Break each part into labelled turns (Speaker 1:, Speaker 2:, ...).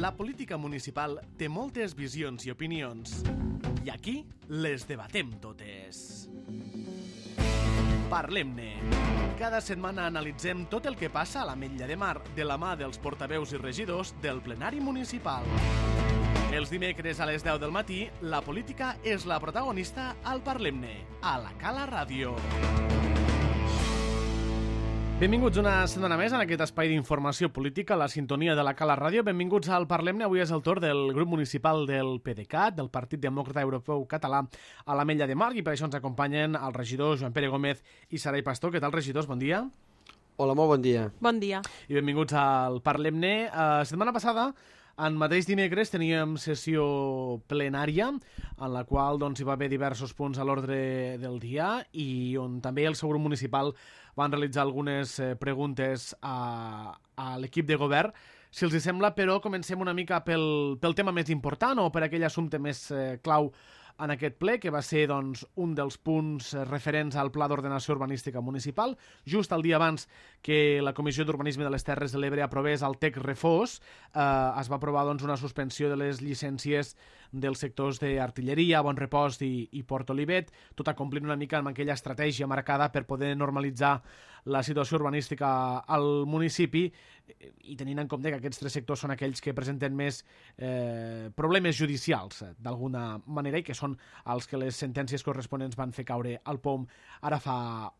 Speaker 1: La política municipal té moltes visions i opinions. I aquí les debatem totes. Parlem-ne. Cada setmana analitzem tot el que passa a l'Ametlla de Mar de la mà dels portaveus i regidors del plenari municipal. Els dimecres a les 10 del matí, la política és la protagonista al Parlem-ne, a la Cala Ràdio. Benvinguts una setmana més en aquest espai d'informació política, la sintonia de la Cala Ràdio. Benvinguts al Parlem-ne. Avui és el torn del grup municipal del PDeCAT, del Partit Demòcrata Europeu Català, a l'Ametlla de Mar, i per això ens acompanyen el regidor Joan Pere Gómez i Sarai Pastor. Què tal, regidors? Bon dia.
Speaker 2: Hola, molt bon dia.
Speaker 3: Bon dia.
Speaker 1: I benvinguts al Parlem-ne. Setmana passada, en mateix dimecres, teníem sessió plenària en la qual hi va haver diversos punts a l'ordre del dia i on també el seu grup municipal van realitzar algunes preguntes a l'equip de govern. Si els sembla, però, comencem una mica pel tema més important o per aquell assumpte més clau en aquest ple, que va ser un dels punts referents al Pla d'Ordenació Urbanística Municipal, just el dia abans que la Comissió d'Urbanisme de les Terres de l'Ebre aprovés el TEC Refós. Es va aprovar una suspensió de les llicències dels sectors d'artilleria, Bon Repòs i Port Olivet, tot acomplint una mica amb aquella estratègia marcada per poder normalitzar la situació urbanística al municipi, i tenint en compte que aquests tres sectors són aquells que presenten més problemes judicials, d'alguna manera, i que són els que les sentències corresponents van fer caure al POM ara fa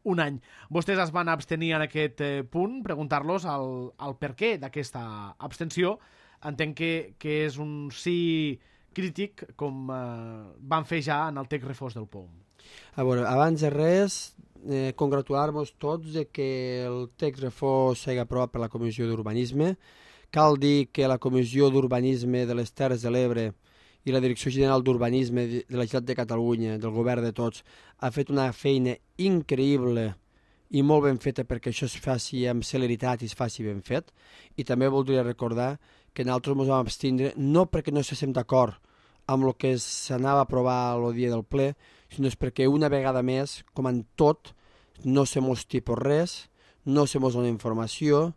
Speaker 1: un any. Vostès es van abstenir en aquest punt, preguntar-los el per què d'aquesta abstenció. Entenc que és un sí crític, com van fer ja en el TEC Refós del POM.
Speaker 2: A veure, abans de res, congratular-nos tots de que el text refós sigui aprovat per la Comissió d'Urbanisme. Cal dir que la Comissió d'Urbanisme de les Terres de l'Ebre i la Direcció General d'Urbanisme de la Generalitat de Catalunya, del govern de tots, ha fet una feina increïble i molt ben feta perquè això es faci amb celeritat i es faci ben fet. I també voldria recordar que nosaltres ens vam abstindre no perquè no estiguem d'acord amb el que s'anava a aprovar el dia del ple, sinó és perquè una vegada més, com en tot, no se mos tipus res, no se mos dona informació,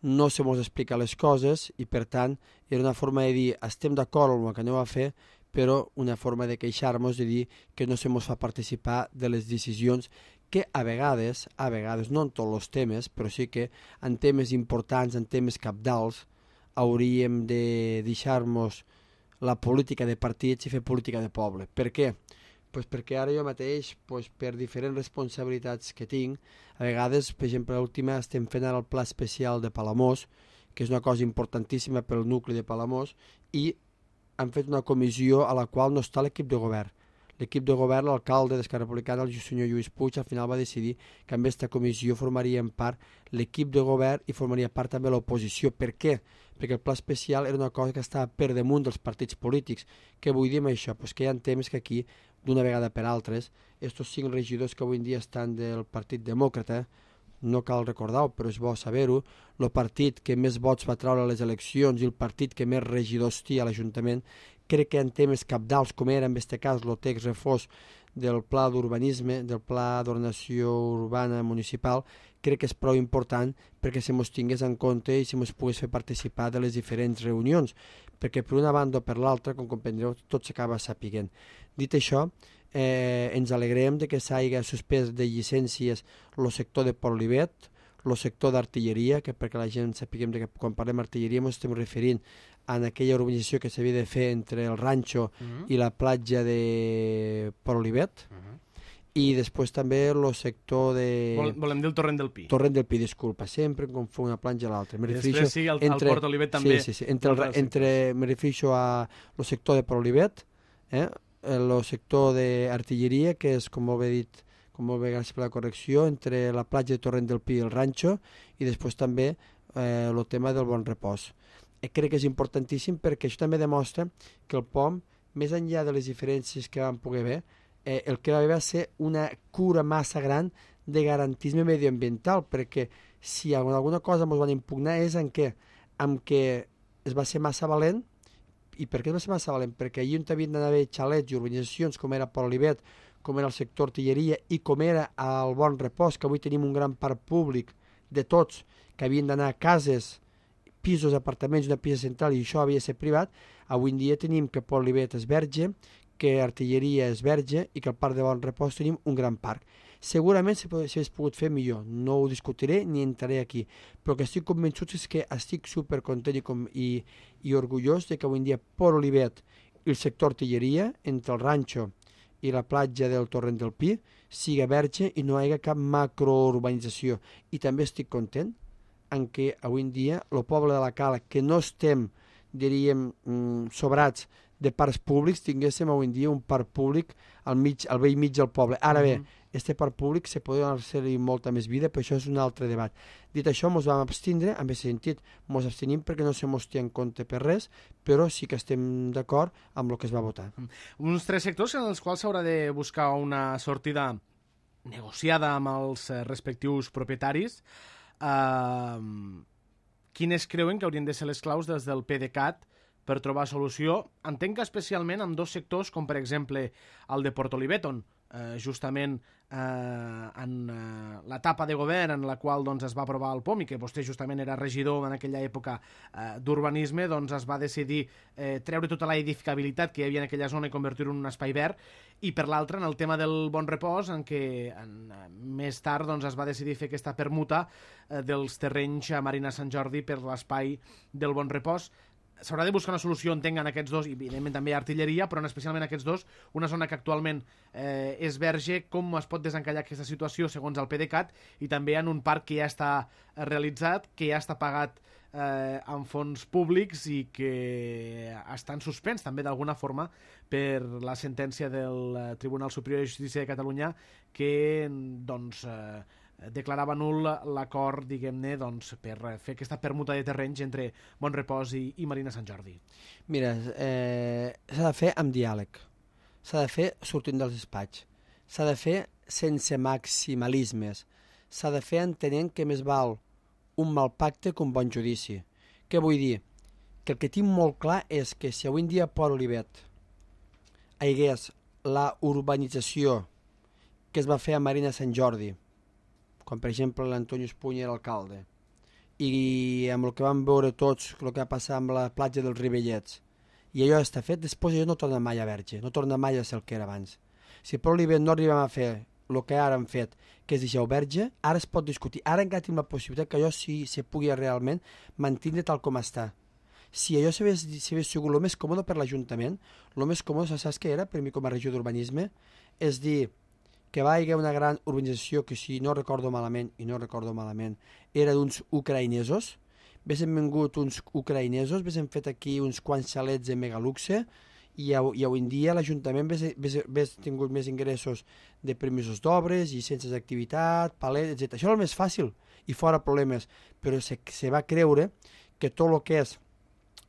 Speaker 2: no se mos explica les coses, i per tant era una forma de dir estem d'acord amb el que aneu a fer, però una forma de queixar-nos, de dir que no se mos fa participar de les decisions que a vegades, no en tots els temes, però sí que en temes importants, en temes cabdals, hauríem de deixar-nos la política de partits i fer política de poble. Per què? Pues perquè ara jo mateix, per diferents responsabilitats que tinc, a vegades, per exemple, l'última estem fent ara el pla especial de Palamós, que és una cosa importantíssima pel nucli de Palamós, i han fet una comissió a la qual no està l'equip de govern. L'equip de govern, l'alcalde d'Esquerra Republicana, el senyor Lluís Puig, al final va decidir que amb aquesta comissió formarien part l'equip de govern i formaria part també l'oposició. Per què? Perquè el pla especial era una cosa que estava per damunt dels partits polítics. Què vull dir amb això? Pues que hi ha temes que aquí, d'una vegada per altres, estos 5 regidors que avui en dia estan del Partit Demòcrata, no cal recordar-ho, però és bo saber-ho, el partit que més vots va treure a les eleccions i el partit que més regidors té a l'Ajuntament, crec que en temes cabdals, com era en aquest cas el text refós del pla d'urbanisme, del pla d'ordenació urbana municipal, crec que és prou important perquè se mos tingués en compte i se mos pogués fer participar de les diferents reunions, perquè per una banda o per l'altra, com comprendreu, tot s'acaba sapiguent. Dit això, ens alegrem de que s'hagi suspès de llicències el sector de Port Olivet, el sector d'artilleria, que perquè la gent sapiguem que quan parlem d'artilleria ens estem referint a aquella urbanització que s'havia de fer entre el ranxo i la platja de Port Olivet, i després també el sector de...
Speaker 1: Volem dir el Torrent del Pi.
Speaker 2: Torrent del Pi, disculpa, sempre em confon una platja a l'altra.
Speaker 1: Després sí, el Port Olivet també.
Speaker 2: Sí. Me refereixo a el sector de Port Olivet, el sector d'artilleria, que és, com molt bé dit, com molt bé, gràcies per la correcció, entre la platja de Torrent del Pi i el ranxo, i després també el tema del Bon Repòs. Crec que és importantíssim perquè això també demostra que el POM, més enllà de les diferències que vam poder haver, el que va haver va ser una cura massa gran de garantisme medioambiental, perquè si alguna cosa ens van impugnar és en què es va ser massa valent. I per què es va ser massa valent? Perquè allí on havien d'anar xalets i urbanitzacions com era Port Olivet, com era el sector artilleria i com era el Bon Repòs, que avui tenim un gran parc públic de tots, que havien d'anar a cases pisos, apartaments, una pista central, i això havia de ser privat. Avui en dia tenim que Port Olivet és verge, que Artilleria és verge i que al Parc de Bon Repòs tenim un gran parc. Segurament s'hagués pogut fer millor, no ho discutiré ni entraré aquí, però que estic convençut és que estic supercontent i orgullós de que avui en dia Port Olivet i el sector Artilleria, entre el ranxo i la platja del Torrent del Pi, siga verge i no hi hagi cap macrourbanització. I també estic content en què avui en dia el poble de la Cala, que no estem, diríem, sobrats de parcs públics, tinguéssim avui en dia un parc públic al vell mig del poble. Ara bé, este parc públic se pot donar-se-li molta més vida, però això és un altre debat. Dit això, ens vam abstindre, en aquest sentit, ens abstenim perquè no se mos té en compte per res, però sí que estem d'acord amb el que es va votar.
Speaker 1: Uns 3 sectors en els quals s'haurà de buscar una sortida negociada amb els respectius propietaris. Quines creuen que haurien de ser les claus des del PDeCAT per trobar solució? Entenc que especialment amb 2 sectors, com per exemple el de Port Olivet, on justament en l'etapa de govern en la qual doncs, es va aprovar el POM i que vostè justament era regidor en aquella època d'urbanisme, doncs es va decidir treure tota la edificabilitat que hi havia en aquella zona i convertir-ho en un espai verd, i per l'altra en el tema del Bon Repòs, en què més tard doncs, es va decidir fer aquesta permuta dels terrenys a Marina Sant Jordi per l'espai del Bon Repòs. S'haurà de buscar una solució, entenc, en aquests 2, i evidentment també Artilleria, però especialment aquests 2, una zona que actualment és verge, com es pot desencallar aquesta situació segons el PDeCAT, i també en un parc que ja està realitzat, que ja està pagat amb fons públics i que està en suspens també d'alguna forma per la sentència del Tribunal Superior de Justícia de Catalunya que doncs declarava nul l'acord, diguem-ne, doncs, per fer aquesta permuta de terrenys entre Bon Repòs i Marina Sant Jordi.
Speaker 2: Mira, s'ha de fer amb diàleg, s'ha de fer sortint dels despatx, s'ha de fer sense maximalismes, s'ha de fer entenent que més val un mal pacte que un bon judici. Què vull dir? Que el que tinc molt clar és que si avui en dia a Port Olivet hi hagués la urbanització que es va fer a Marina Sant Jordi, com per exemple l'Antonio Espuny era alcalde, i amb el que vam veure tots, el que va passar amb la platja dels Ribellets, i allò està fet, després allò no torna mai a verge, no torna mai a ser el que era abans. Si per Olivet no arribem a fer el que ara han fet, que és deixar verge, ara es pot discutir, ara encara tenim la possibilitat que allò sí se pugui realment mantenir tal com està. Si allò s'hagués sigut el més còmode per l'Ajuntament, el més còmode, saps què era per mi com a regió d'urbanisme? És dir, que va haver una gran urbanització que, si no recordo malament, era d'uns ucraïnesos. Haguéssim vingut uns ucraïnesos, haguéssim fet aquí uns quants xalets de megaluxe i avui en dia l'Ajuntament hagués tingut més ingressos de permisos d'obres, llicències d'activitat, palets, etc. Això era el més fàcil i fora problemes, però se va creure que tot el que és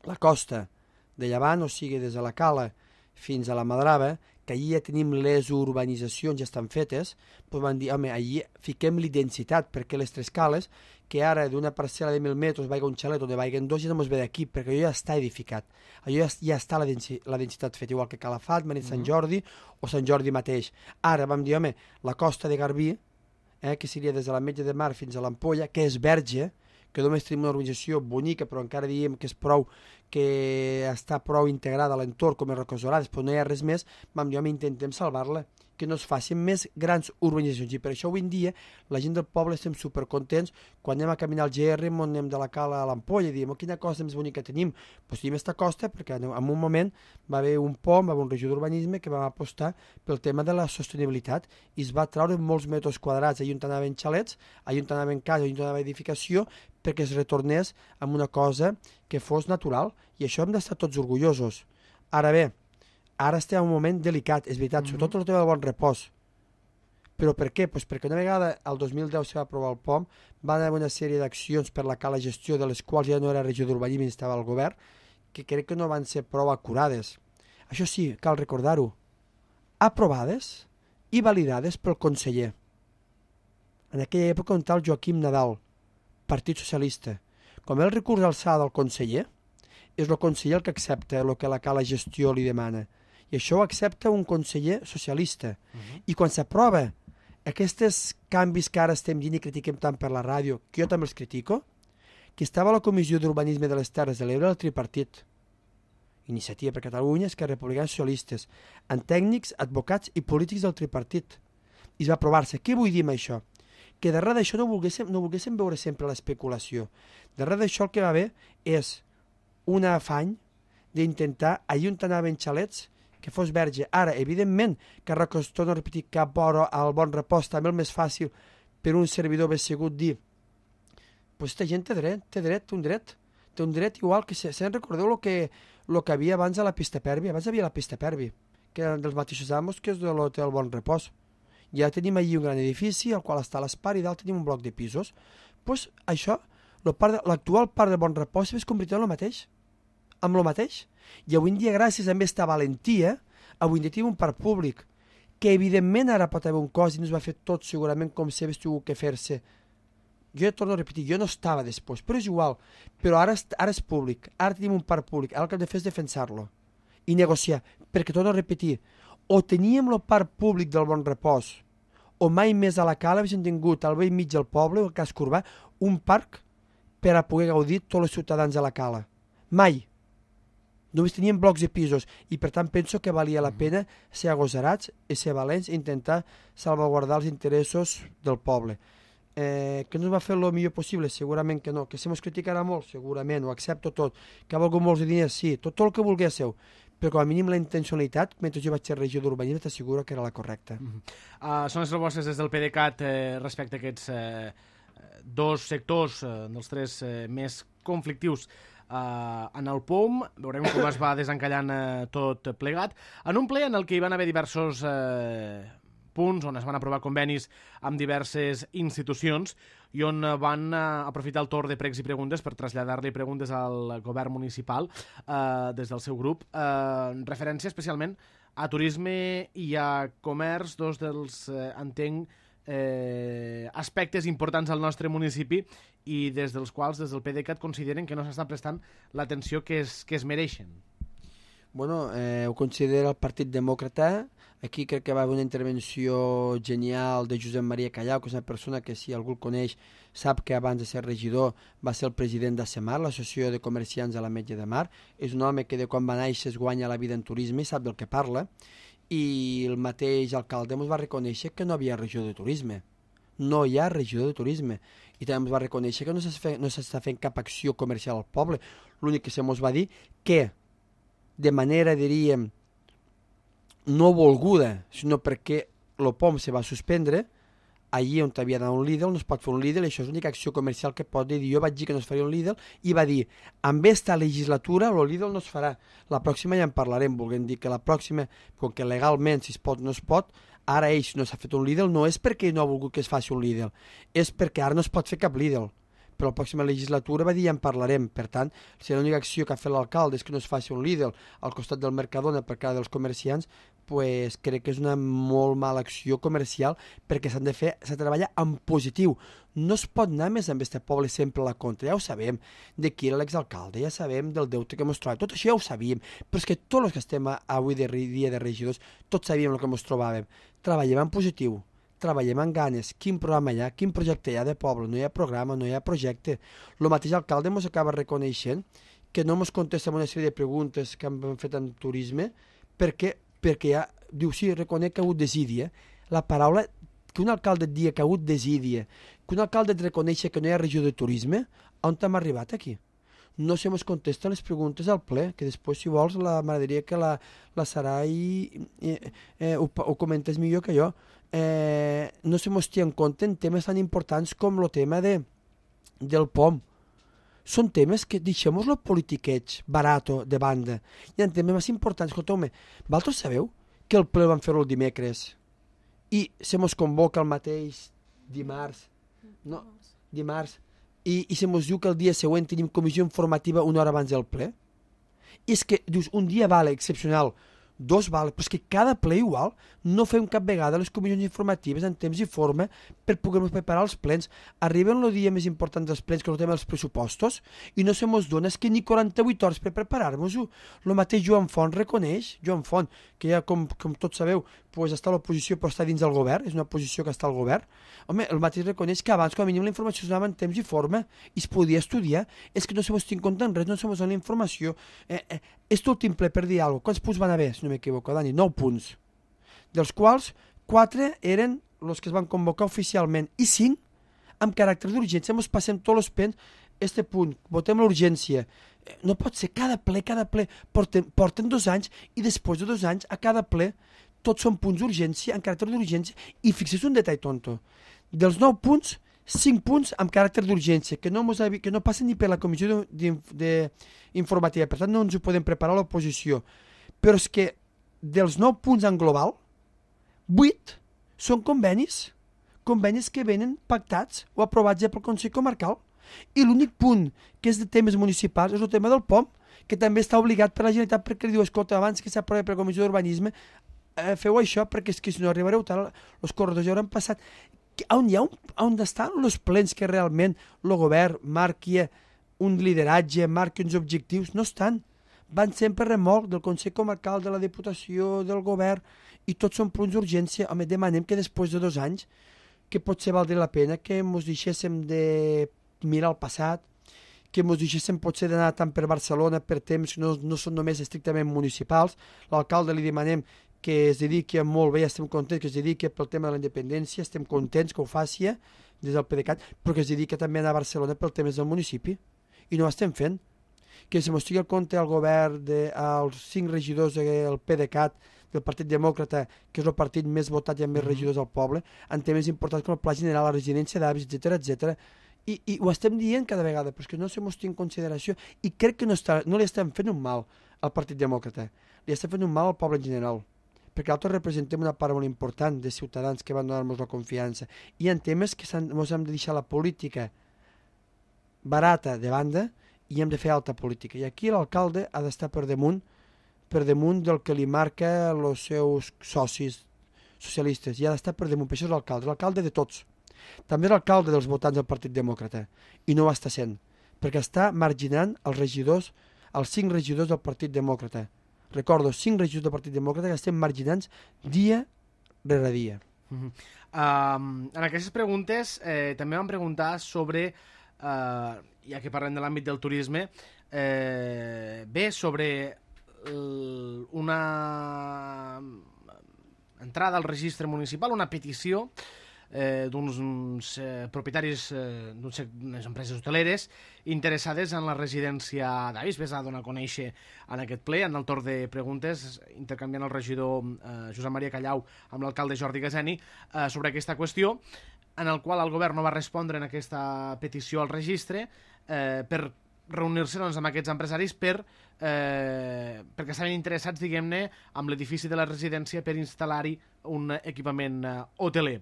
Speaker 2: la costa de Llevant, o sigui, des de la Cala fins a la Madrava, que allí ja tenim les urbanitzacions, ja estan fetes, doncs van dir, home, allí fiquem-li densitat, perquè les tres cales, que ara d'una parcel·la de 1.000 metres vaiga un xalet o de vaiguen 2, ja no ens ve d'aquí, perquè allò ja està edificat. Allò ja està la densitat feta, igual que Calafat, Marina Sant Jordi o Sant Jordi mateix. Ara vam dir, home, la costa de Garbí, que seria des de la Metge de Mar fins a l'Ampolla, que és verge, que només tenim una urbanització bonica, però encara diem que és prou, que està prou integrada a l'entorn com és Roques Dorades, però no hi ha res més, vam dir, home, intentem salvar-la, que no es facin més grans urbanitzacions. I per això avui en dia la gent del poble estem supercontents quan anem a caminar al GR, on anem de la Cala a l'Ampolla, i diem, oh, quina costa més bonica tenim. Doncs tenim aquesta costa perquè en un moment va haver un POM, va haver un regidor d'urbanisme que va apostar pel tema de la sostenibilitat i es va treure molts metres quadrats, allà on anaven xalets, allà on anaven cases, allà on anava edificació, perquè es retornés amb una cosa que fos natural, i això hem d'estar tots orgullosos. Ara bé, ara estem en un moment delicat, és veritat, sobretot el tema del Bon Repòs. Però per què? Pues perquè una vegada, el 2010 se va aprovar el POM, van haver una sèrie d'accions per la cala gestió, de les quals ja no era regió d'urbanisme, estava al govern, que crec que no van ser prou acurades. Això sí, cal recordar-ho, aprovades i validades pel conseller. En aquella època on tal Joaquim Nadal, Partit Socialista. Com el recurs d'alçada del conseller, és el conseller el que accepta el que la cala gestió li demana. I això ho accepta un conseller socialista. I quan s'aprova aquests canvis que ara estem dient i critiquem tant per la ràdio, que jo també els critico, que estava a la Comissió d'Urbanisme de les Terres de l'Ebre el tripartit. Iniciativa per Catalunya, Esquerra Republicana, Socialistes, amb tècnics, advocats i polítics del tripartit. I es va aprovar-se. Què vull dir amb això? Que darrere d'això no volguéssim veure sempre l'especulació. Darrere d'això el que va haver és un afany d'intentar, allà on anaven xalets, que fos verge. Ara, evidentment, que torno a repetir, cap hora al Bon Repòs, també el més fàcil per un servidor ben segut dir pues aquesta gent té un dret igual que se'n recordeu el que havia abans a la pista Pervi. Abans havia la pista Pervi, que eren dels mateixos amos que és de l'hotel Bon Repòs. Ja tenim allí un gran edifici al qual està l'Espar i dalt tenim un bloc de pisos. Pues això, l'actual parc de Bon Repòs es convertirà en el mateix. Amb el mateix. I avui en dia, gràcies a aquesta valentia, avui en dia tenim un parc públic que evidentment ara pot haver un cost i no es va fer tot segurament com si hagués tingut que fer-se. Jo ja torno a repetir, jo no estava després, però és igual. Però ara és públic, ara tenim un parc públic, ara el que hem de fer és defensar-lo i negociar, perquè torno a repetir, o teníem el parc públic del Bon Repòs, o mai més a la Cala haguéssim tingut al vell mig del poble, o al casc urbà, un parc per a poder gaudir tots els ciutadans de la Cala. Mai. Només teníem blocs de pisos i per tant penso que valia la pena ser agosarats i ser valents i intentar salvaguardar els interessos del poble. Que no es va fer el millor possible? Segurament que no. Que se mos criticarà molt? Segurament, ho accepto tot. Que ha valgut molts diners? Sí, tot el que volguéssiu. Però com a mínim la intencionalitat, mentre jo vaig ser regidor d'urbanisme, t'asseguro que era la correcta.
Speaker 1: Són les propostes des del PDeCAT respecte a aquests dos sectors, dels tres més conflictius en el POM. Veurem com es va desencallant tot plegat. En un ple en el que hi van haver diversos punts on es van aprovar convenis amb diverses institucions i on van aprofitar el torn de pregs i preguntes per traslladar-li preguntes al govern municipal des del seu grup, referència especialment a turisme i a comerç, dos dels, entenc, aspectes importants al nostre municipi i des dels quals, des del PDeCAT, consideren que no s'està prestant l'atenció que es mereixen.
Speaker 2: Bueno, ho considera el Partit Demòcrata. Aquí crec que va haver una intervenció genial de Josep Maria Callau, que és una persona que, si algú el coneix, sap que abans de ser regidor va ser el president d'ACEMAR, l'Associació de Comerciants de l'Ametlla de Mar. És un home que de quan va néixer es guanya la vida en turisme i sap del que parla. I el mateix alcalde ens va reconèixer que no havia regidor de turisme. No hi ha regidor de turisme. I també ens va reconèixer que no s'està fent cap acció comercial al poble. L'únic que se mos va dir que de manera, diríem, no volguda, sinó perquè el POM se va suspendre, allí on havia d'anar un Lidl no es pot fer un Lidl, això és l'única acció comercial que pot dir. Jo vaig dir que no es faria un Lidl i va dir, amb esta legislatura el Lidl no es farà, la pròxima ja en parlarem, volguem dir que la pròxima, com que legalment si es pot no es pot, ara ells no s'ha fet un Lidl, no és perquè no ha volgut que es faci un Lidl, és perquè ara no es pot fer cap Lidl. Però la pròxima legislatura va dir ja en parlarem. Per tant, si l'única acció que ha fet l'alcalde és que no es faci un Lidl al costat del Mercadona per cada dels comerciants, pues crec que és una molt mala acció comercial perquè s'ha de treballar en positiu. No es pot anar més amb aquest poble sempre a la contra. Ja ho sabem de qui era l'exalcalde, ja sabem del deute que ens trobàvem, tot això ja ho sabíem, però és que tots els que estem avui dia de regidors, tots sabíem el que ens trobàvem. Treballem en positiu, treballem amb ganes, quin programa hi ha, quin projecte hi ha de poble, no hi ha programa, no hi ha projecte. El mateix alcalde ens acaba reconeixent que no ens contesta una sèrie de preguntes que hem fet en turisme perquè ja, diu, sí, reconec que ha hagut desídia. La paraula, que un alcalde et digui que ha hagut desídia, que un alcalde et reconeixi que no hi ha regió de turisme, on hem arribat aquí? No se mos contesten les preguntes al ple, que després, si vols, m'agradaria que la Sarai ho comentés millor que jo. No se mos té en compte en temes tan importants com el tema del POM. Són temes que deixem-los el politiqueig barato de banda. Hi ha temes més importants. Escolteu-me, vosaltres sabeu que el ple van fer-ho el dimecres i se mos convoca el mateix dimarts i se mos diu que el dia següent tenim comissió informativa una hora abans del ple? I és que, dius, un dia vale, excepcional, dos vale, però és que cada ple igual no fem cap vegada les comissions informatives en temps i forma per poder-nos preparar els plens. Arriben el dia més important dels plens, que és el tema dels pressupostos, i no se mos dona, és que ni 48 hores per preparar-nos-ho. El mateix Joan Font reconeix, Joan Font, que ja com tots sabeu, pues, està a l'oposició però està dins del govern, és una posició que està al govern. Home, el mateix reconeix que abans com a mínim la informació es donava en temps i forma i es podia estudiar. És que no se mos tinc compte en res, no se mos dona la informació. És l'últim ple per dir alguna cosa. Quants punts van haver, si no m'equivoco, Dani? 9 punts. Dels quals 4 eren els que es van convocar oficialment i 5 amb caràcter d'urgència. Ens passem tots els pens, este punt, votem l'urgència. No pot ser, cada ple, porten 2 anys i després de 2 anys, a cada ple, tots són punts d'urgència, en caràcter d'urgència, i fixeu un detall tonto. Dels 9 punts, 5 punts amb caràcter d'urgència, que no passen ni per la comissió informativa, per tant no ens ho podem preparar a l'oposició. Però és que dels 9 punts en global, 8 són convenis que venen pactats o aprovats ja pel Consell Comarcal. I l'únic punt que és de temes municipals és el tema del POM, que també està obligat per la Generalitat perquè li diu, escolta, abans que s'aprovi per la Comissió d'Urbanisme, feu això perquè és que si no arribareu tard, els corredors ja hauran passat. On estan els plens que realment el govern marqui un lideratge, marqui uns objectius? No estan. Van sempre remolc del Consell Comarcal, de la Diputació, del govern, i tots són punts d'urgència. Home, demanem que després de 2 anys, que potser valdria la pena que ens deixéssim de mirar el passat, que ens deixéssim potser d'anar tant per Barcelona per temps que no són només estrictament municipals. L'alcalde li demanem que es dediqui molt bé, estem contents que es dediqui pel tema de la independència, estem contents que ho faci des del PDeCAT, però que es dediqui també a anar a Barcelona pel tema del municipi, i no ho estem fent. Que se mos tingui al compte al govern, als 5 regidors del PDeCAT, del Partit Demòcrata, que és el partit més votat i amb més regidors al poble, en temes importants com el Pla General, la residència d'avis, etc. I ho estem dient cada vegada, però és que no se mos té en consideració, i crec que no li estem fent un mal al Partit Demòcrata, li estem fent un mal al poble en general, perquè nosaltres representem una part molt important de ciutadans que van donar-nos la confiança, i hi ha temes que ens hem de deixar la política barata de banda i hem de fer alta política, i aquí l'alcalde ha d'estar per damunt del que li marca els seus socis socialistes, i ha d'estar per damunt, per això és l'alcalde de tots. També és l'alcalde dels votants del Partit Demòcrata, i no ho està sent, perquè està marginant els 5 regidors del Partit Demòcrata. Recordo, 5 regidors del Partit Demòcrata que estem marginants dia rere dia.
Speaker 1: En aquestes preguntes també vam preguntar sobre, ja que parlem de l'àmbit del turisme, sobre una entrada al registre municipal, una petició d'uns propietaris d'unes empreses hoteleres interessades en la residència d'avis. Ves a donar a conèixer en aquest ple, en el torn de preguntes, intercanviant el regidor Josep Maria Callau amb l'alcalde Jordi Gaseni sobre aquesta qüestió, en el qual el govern no va respondre en aquesta petició al registre per reunir-se amb aquests empresaris perquè estaven interessats, diguem-ne, amb l'edifici de la residència per instal·lar-hi un equipament hoteler.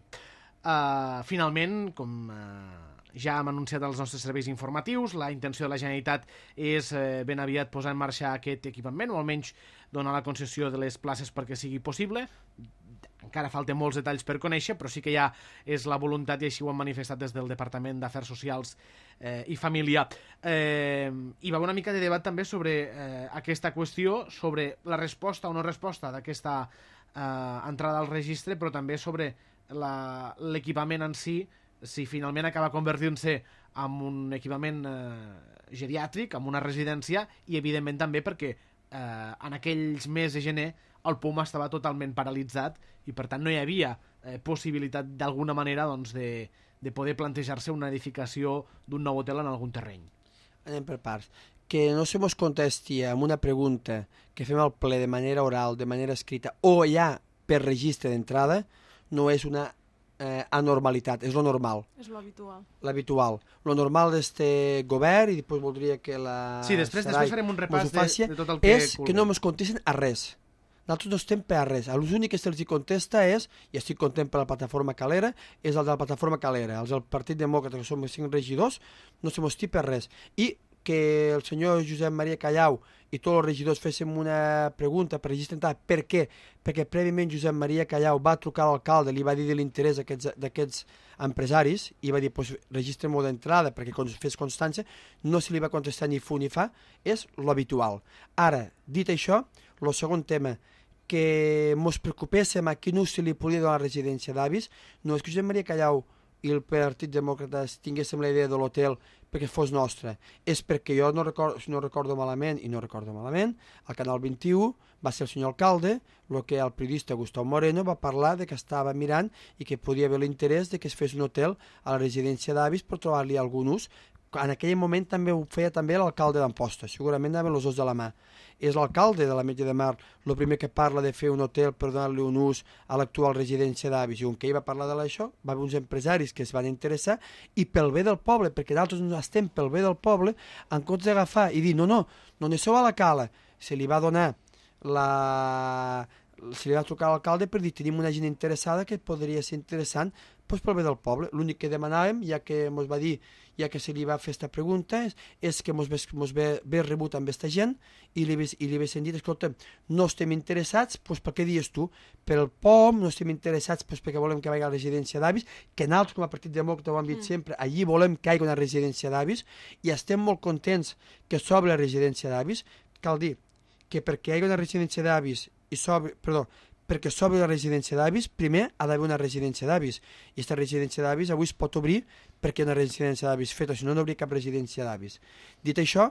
Speaker 1: Finalment, com ja hem anunciat als nostres serveis informatius, la intenció de la Generalitat és ben aviat posar en marxa aquest equipament, o almenys donar la concessió de les places perquè sigui possible. Encara falten molts detalls per conèixer, però sí que ja és la voluntat, i així ho han manifestat des del Departament d'Afers Socials i Família. Hi va haver una mica de debat també sobre aquesta qüestió, sobre la resposta o no resposta d'aquesta entrada al registre, però també sobre l'equipament en si finalment acaba convertint-se en un equipament geriàtric, en una residència, i evidentment també perquè en aquells mesos de gener el POM estava totalment paralitzat i per tant no hi havia possibilitat d'alguna manera de poder plantejar-se una edificació d'un nou hotel en algun terreny.
Speaker 2: Anem per parts. Que no se mos contesti amb una pregunta que fem al ple de manera oral, de manera escrita, o ja per registre d'entrada, no és una anormalitat, és lo normal.
Speaker 3: És lo habitual.
Speaker 2: L'habitual. Lo normal d'este govern, i després voldria que la
Speaker 1: Sí, després farem un repàs de tot el
Speaker 2: que és que no ens contesten a res. Nosaltres no estem per a res. L'únic que se'ls contesta és, i estic content per la plataforma Calera, és el de la plataforma Calera. Els del Partit Demòcrata, que som 5 regidors, no se mos per res. I que el senyor Josep Maria Callau i tots els regidors féssim una pregunta per registre d'entrada. Per què? Perquè prèviament Josep Maria Callau va trucar a l'alcalde, li va dir de l'interès d'aquests empresaris i va dir, pues, registre-m'ho d'entrada perquè fes constància. No se li va contestar ni fu ni fa, és l'habitual. Ara, dit això, el segon tema, que mos preocupéssim a quin ús se li podia donar a la residència d'avis. No és que Josep Maria Callau i el Partit Demòcrata tinguéssim la idea de l'hotel perquè fos nostre, és perquè jo no recordo malament, al Canal 21 va ser el senyor alcalde, el que el periodista Gustau Moreno va parlar de que estava mirant i que podia haver l'interès de que es fes un hotel a la residència d'avis per trobar-li algun ús. En aquell moment també ho feia també l'alcalde d'Amposta, segurament anaven els dos de la mà. És l'alcalde de l'Ametlla de Mar el primer que parla de fer un hotel per donar-li un ús a l'actual residència d'avis. I on que ell va parlar d'això, va haver uns empresaris que es van interessar i pel bé del poble, perquè nosaltres no estem pel bé del poble, en comptes d'agafar i dir no aneu a la cala, se li va donar se li va trucar a l'alcalde per dir tenim una gent interessada que podria ser interessant doncs pel bé del poble. L'únic que demanàvem, ja que ens va dir, ja que se li va fer aquesta pregunta, és que ens ve rebut amb aquesta gent i li haguessin dit, escolta, no estem interessats, doncs per què dius tu? Per el POM, no estem interessats doncs perquè volem que vagi a la residència d'avis, que nosaltres com a Partit Demòcrata ho hem dit sempre, allí volem que hi hagi una residència d'avis i estem molt contents que s'obri la residència d'avis. Cal dir que perquè hi hagi una residència d'avis perquè s'obri la residència d'avis, primer ha d'haver una residència d'avis. I aquesta residència d'avis avui es pot obrir perquè hi ha una residència d'avis feta, si no, no hauria cap residència d'avis. Dit això,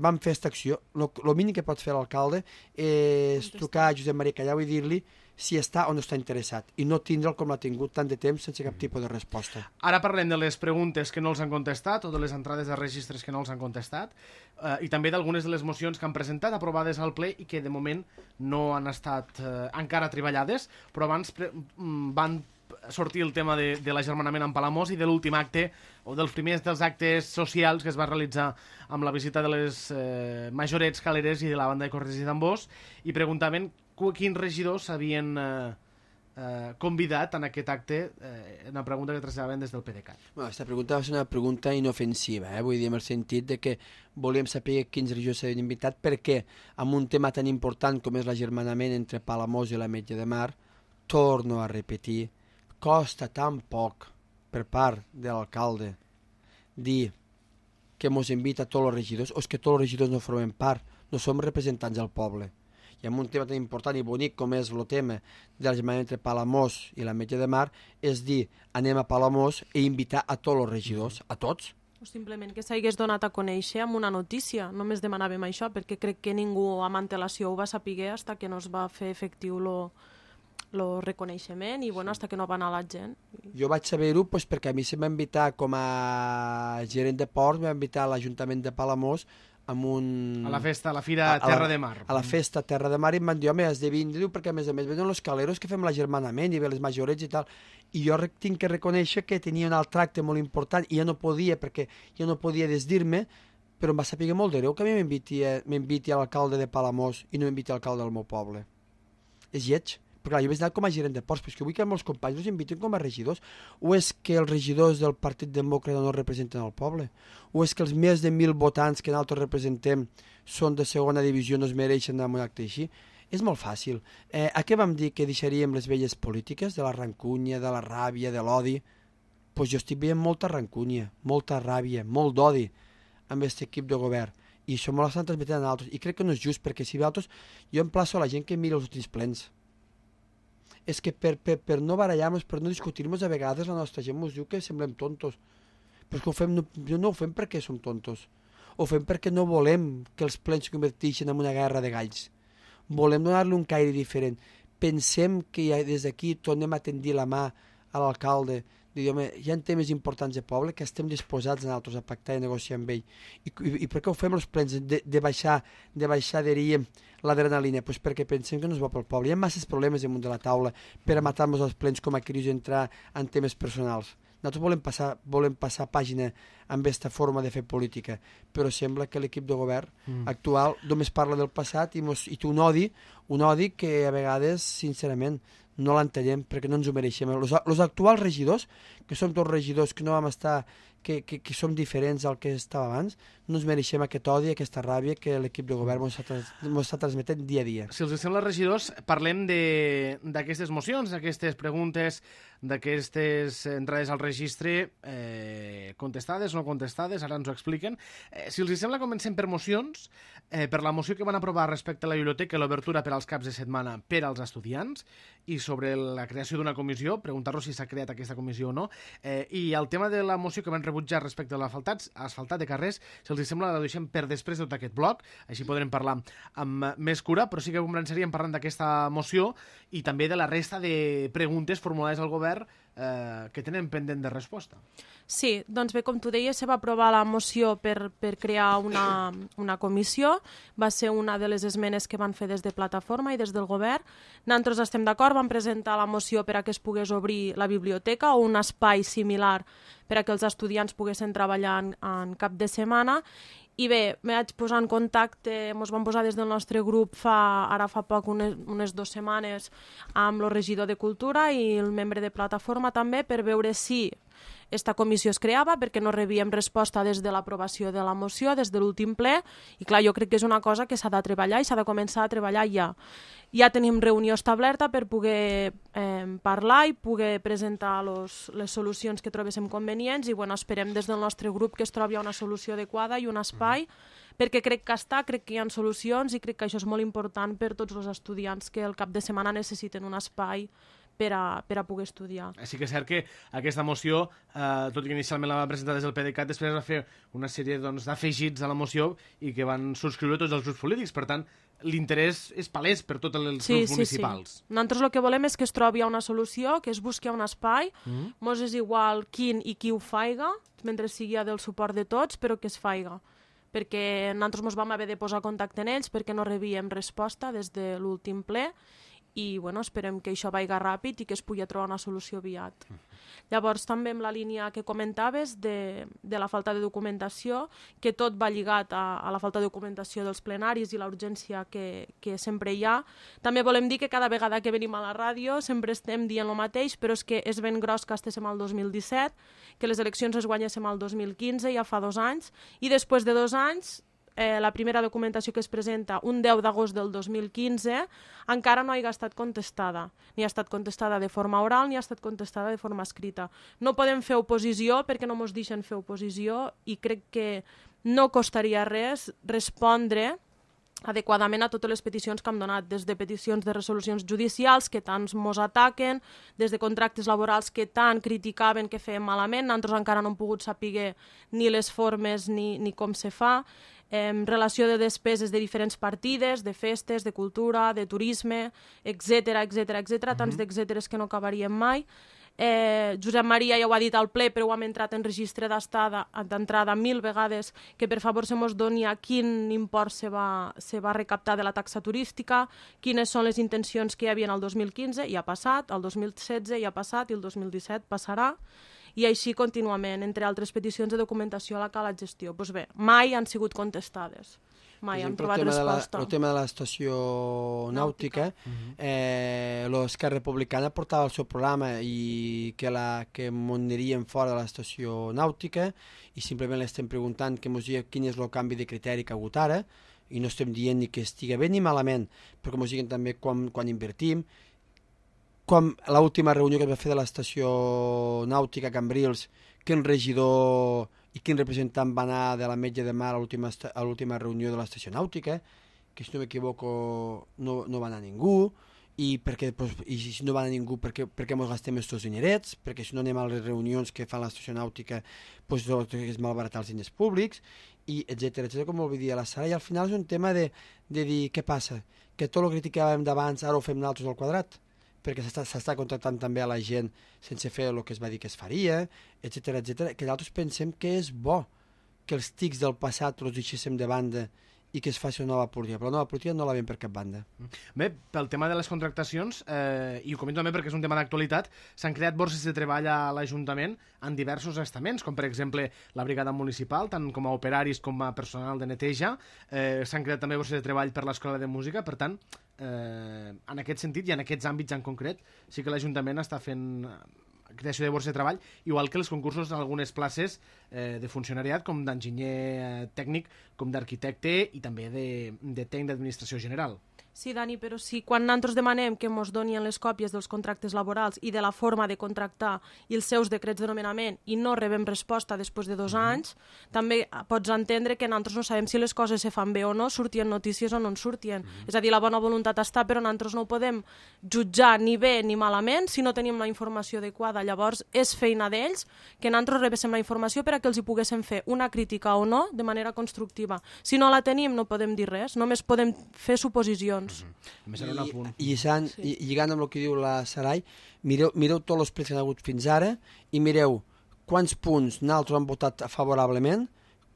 Speaker 2: vam fer aquesta acció. El mínim que pot fer l'alcalde és trucar a Josep Maria Callau i dir-li si està o no està interessat i no tindre'l com l'ha tingut tant de temps sense cap tipus de resposta.
Speaker 1: Ara parlem de les preguntes que no els han contestat o de les entrades de registres que no els han contestat i també d'algunes de les mocions que han presentat aprovades al ple i que de moment no han estat encara treballades, però abans van sortir el tema de l'agermanament amb Palamós i de l'últim acte o dels primers dels actes socials que es va realitzar amb la visita de les majorets caleres i de la banda de corredors i tambors i preguntaven quins regidors s'havien convidat en aquest acte, una pregunta que traslladaven des del PDeCAT.
Speaker 2: Aquesta pregunta va ser una pregunta inofensiva, vull dir, en el sentit de que volíem saber quins regidors s'havien invitat perquè amb un tema tan important com és l'agermanament entre Palamós i l'Ametlla de Mar, torno a repetir, costa tan poc per part de l'alcalde dir que mos invita a tots els regidors o és que tots els regidors no formem part, no som representants del poble. I amb un tema tan important i bonic com és el tema de l'agermanament entre Palamós i l'Ametlla de Mar, és dir, anem a Palamós i invitar a tots els regidors, a tots.
Speaker 3: O simplement que s'hagués donat a conèixer amb una notícia. Només demanàvem això, perquè crec que ningú amb antelació ho va saber fins que no es va fer efectiu el reconeixement i bueno, fins que no va anar la gent.
Speaker 2: Jo vaig saber-ho perquè a mi se m'ha invitat com a gerent de ports, m'ha invitat a l'Ajuntament de Palamós a
Speaker 1: la festa, a la fira Terra de Mar.
Speaker 2: A la festa Terra de Mar i em van dir, home, has de vindre perquè a més venen els caleros que fem l'agermanament i ve les majorets i tal. I jo tinc que reconèixer que tenia un alt tracte molt important i ja no podia perquè jo no podia desdir-me, però em va saber molt de greu que a mi m'inviti a l'alcalde de Palamós i no m'inviti a l'alcalde del meu poble. És lleig. Perquè clar, jo he anat com a gerent de ports, però és que vull que els meus companys els invitin com a regidors. O és que els regidors del Partit Demòcrata no representen el poble? O és que els més de 1.000 votants que nosaltres representem són de segona divisió, no es mereixen anar a un acte així? És molt fàcil. A què vam dir que deixaríem les velles polítiques? De la rancúnia, de la ràbia, de l'odi? Doncs jo estic veient molta rancúnia, molta ràbia, molt d'odi amb aquest equip de govern. I això me l'estan transmetent a altres. I crec que no és just, perquè si altres, jo emplaço a la gent que miri els últims plens. És que per no barallar-nos, per no discutir-nos, a vegades la nostra gent ens diu que semblem tontos. Però és que ho fem, no ho fem perquè som tontos. Ho fem perquè no volem que els plens es converteixin en una guerra de galls. Volem donar-li un caire diferent. Pensem que des d'aquí tornem a tendir la mà a l'alcalde, dir, home, hi ha temes importants de poble que estem disposats nosaltres a pactar i negociar amb ell. I per què ho fem els plens de baixar, diríem, l'adrenalina? Pues perquè pensem que no és bo pel poble. Hi ha masses problemes damunt de la taula per a matar-nos els plens com a cris i entrar en temes personals. Nosaltres volem passar pàgina amb aquesta forma de fer política, però sembla que l'equip de govern actual només parla del passat i té un odi que a vegades, sincerament, no l'entenem perquè no ens ho mereixem. Els actuals regidors, que som tots regidors que no vam estar, que som diferents al que estava abans, no ens mereixem aquest odi, aquesta ràbia que l'equip de govern ens està transmetent dia a dia.
Speaker 1: Si els sembla, regidors, parlem d'aquestes mocions, d'aquestes preguntes, d'aquestes entrades al registre contestades o no contestades, ara ens ho expliquen. Si els sembla, comencem per mocions, per la moció que van aprovar respecte a la biblioteca i l'obertura per als caps de setmana per als estudiants, i sobre la creació d'una comissió, preguntar-los si s'ha creat aquesta comissió o no, i el tema de la moció que van rebutjar respecte a l'asfaltat de carrers, si els sembla, la deixem per després de tot aquest bloc, així podrem parlar amb més cura, però sí que començaríem parlant d'aquesta moció i també de la resta de preguntes formulades al govern que tenen pendent de resposta.
Speaker 3: Sí, doncs bé, com tu deies, se va aprovar la moció per crear una comissió. Va ser una de les esmenes que van fer des de Plataforma i des del govern. Nosaltres estem d'acord, vam presentar la moció per a que es pogués obrir la biblioteca o un espai similar per a que els estudiants poguessin treballar en cap de setmana. I bé, me vaig posar en contacte, ens vam posar des del nostre grup ara fa poc, unes 2 setmanes, amb el regidor de Cultura i el membre de Plataforma també, per veure si esta comissió es creava, perquè no rebíem resposta des de l'aprovació de la moció, des de l'últim ple, i clar, jo crec que és una cosa que s'ha de treballar i s'ha de començar a treballar ja. Ja tenim reunió establerta per poder parlar i poder presentar les solucions que trobéssim convenients i bueno, esperem des del nostre grup que es trobi una solució adequada i un espai, perquè crec que hi ha solucions i crec que això és molt important per tots els estudiants que el cap de setmana necessiten un espai per a poder estudiar.
Speaker 1: Sí que és cert que aquesta moció, tot i que inicialment la va presentar des del PDeCAT, després va fer una sèrie d'afegits a la moció i que van subscriure tots els grups polítics. Per tant, l'interès és palès per tots els grups municipals.
Speaker 3: Sí. Nosaltres el que volem és que es trobi una solució, que es busqui un espai, mos és igual quin i qui ho faiga, mentre sigui del suport de tots, però que es faiga. Perquè nosaltres ens vam haver de posar contacte en ells perquè no rebíem resposta des de l'últim ple i bueno, esperem que això vagi ràpid i que es pugui trobar una solució aviat. Llavors també amb la línia que comentaves de la falta de documentació, que tot va lligat a la falta de documentació dels plenaris i la urgència que sempre hi ha. També volem dir que cada vegada que venim a la ràdio sempre estem dient el mateix, però és que és ben gros que estéssim al 2017, que les eleccions es guanyéssim al 2015, ja fa 2 anys, i després de 2 anys la primera documentació que es presenta un 10 d'agost del 2015 encara no ha estat contestada. Ni ha estat contestada de forma oral ni ha estat contestada de forma escrita. No podem fer oposició perquè no ens deixen fer oposició i crec que no costaria res respondre adequadament a totes les peticions que hem donat, des de peticions de resolucions judicials que tant mos ataquen, des de contractes laborals que tant criticaven que fèiem malament, nosaltres encara no hem pogut saber ni les formes ni com se fa, relació de despeses de diferents partides, de festes, de cultura, de turisme, etc, tants d'etcèteres que no acabaríem mai. Josep Maria ja ho ha dit al ple, però ho hem entrat en registre d'entrada 1000 vegades, que per favor se mos doni a quin import se va recaptar de la taxa turística, quines són les intencions que hi havia el 2015, ja ha passat, el 2016 ja ha passat i el 2017 passarà, i així contínuament, entre altres peticions de documentació a la cala gestió. Doncs bé, mai han sigut contestades. Mai hem trobat resposta.
Speaker 2: El tema de l'estació nàutica, l'Esquerra Republicana portava el seu programa i que aniríem fora de l'estació nàutica i simplement l'estem preguntant que ens digui quin és el canvi de criteri que ha hagut ara i no estem dient ni que estigui bé ni malament, però que ens diguin també quan invertim. Com l'última reunió que es va fer de l'estació nàutica a Cambrils, quin regidor i quin representant va anar de la Metge de Mar a l'última reunió de l'estació nàutica, que si no m'equivoco no va anar ningú, i si no va anar ningú perquè ens gastem estos dinerets, perquè si no anem a les reunions que fa l'estació nàutica és malbaratar els diners públics, i etcètera, com ho dir a la Sara, i al final és un tema de dir què passa, que tot el que criticàvem d'abans ara ho fem nosaltres al quadrat, perquè s'està contractant també a la gent sense fer el que es va dir que es faria, etcètera, que nosaltres pensem que és bo que els tics del passat els deixéssim de banda i que es faci una nova política, però la nova política no la veiem per cap banda.
Speaker 1: Bé, pel tema de les contractacions, i ho comento també perquè és un tema d'actualitat, s'han creat borses de treball a l'Ajuntament en diversos estaments, com per exemple la brigada municipal, tant com a operaris com a personal de neteja, s'han creat també borses de treball per l'Escola de Música, per tant, en aquest sentit i en aquests àmbits en concret, sí que l'Ajuntament està fent creació de borsa de treball, igual que els concursos d'algunes places de funcionariat, com d'enginyer tècnic, com d'arquitecte i també de tècnic d'administració general.
Speaker 3: Sí, Dani, però si quan nosaltres demanem que ens donin les còpies dels contractes laborals i de la forma de contractar i els seus decrets de nomenament i no rebem resposta després de 2 anys, també pots entendre que nosaltres no sabem si les coses se fan bé o no, sortien notícies o no en surtien. És a dir, la bona voluntat està, però nosaltres no ho podem jutjar ni bé ni malament si no tenim la informació adequada. Llavors, és feina d'ells que nosaltres rebéssim la informació per a que els hi poguéssim fer una crítica o no de manera constructiva. Si no la tenim, no podem dir res, només podem fer suposicions.
Speaker 2: I lligant amb el que diu la Sarai, mireu tots els plets que han hagut fins ara i mireu quants punts nosaltres han votat favorablement,